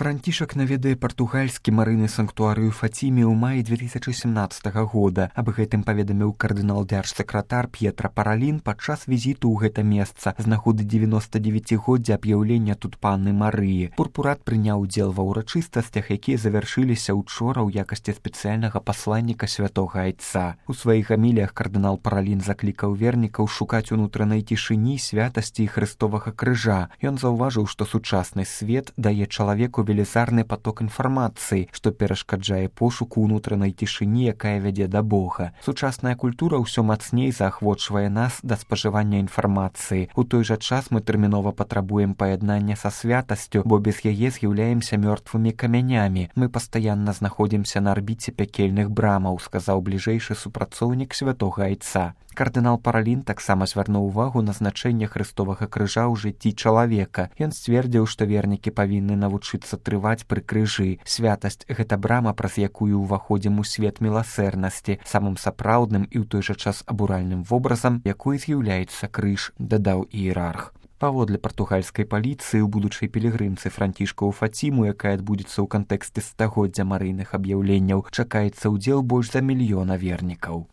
Францішак наведае партугальскі марыны санктуарыю Фаціме ў маі 2017 года. Аб гэтым паведаміў кардынал-дзяржсакратар П'етра Паралін падчас візіту ў гэта месца з нагоды 99-годдзя аб'яўлення тут панны Марыі. Пурпурат прыняў удзел ва ўрачыстасцях, якія завяршыліся учора ў якасці спецыяльнага пасланніка святога айца. У сваіх гаміліях кардынал Паралін заклікаў вернікаў шукаць унутранай цішыні, святасці і хрыстовага крыжа. Ён заўважыў, што сучасны свет дае чалавеку велізарны поток інфармацыі, што перашкаджае пошуку ўнутранай цішыні, якая вядзе да Бога. Сучасная культура ўсё мацней заахвочвае нас да спажывання інфармацыі. У той жа час мы тэрмінова патрабуем паяднання са святасцю, бо без яе з'яўляемся мёртвымі камянямі. Мы пастаянна знаходзімся на арбіце пякельных брамаў, сказаў бліжэйшы супрацоўнік святога айца. Кардынал Паралін таксама звярнуў увагу на значэнне хрыстовага крыжа ў жыцці чалавека. Ён сцвердзіў, што вернікі павінны навучыцца трываць пры крыжы. Святасць — гэта брама, праз якую ўваходзім у свет міласэрнасці, самым сапраўдным і ў той жа час абуральным вобразам, якой з'яўляецца крыж, дадаў іерарх. Паводле партугальскай паліцыі, у будучай пілігрымцы Францішка ў Фаціму, якая адбудзецца ў кантэксце стагоддзя марыйных аб'яўленняў, чакаецца ўдзел больш за 1 000 000 вернікаў.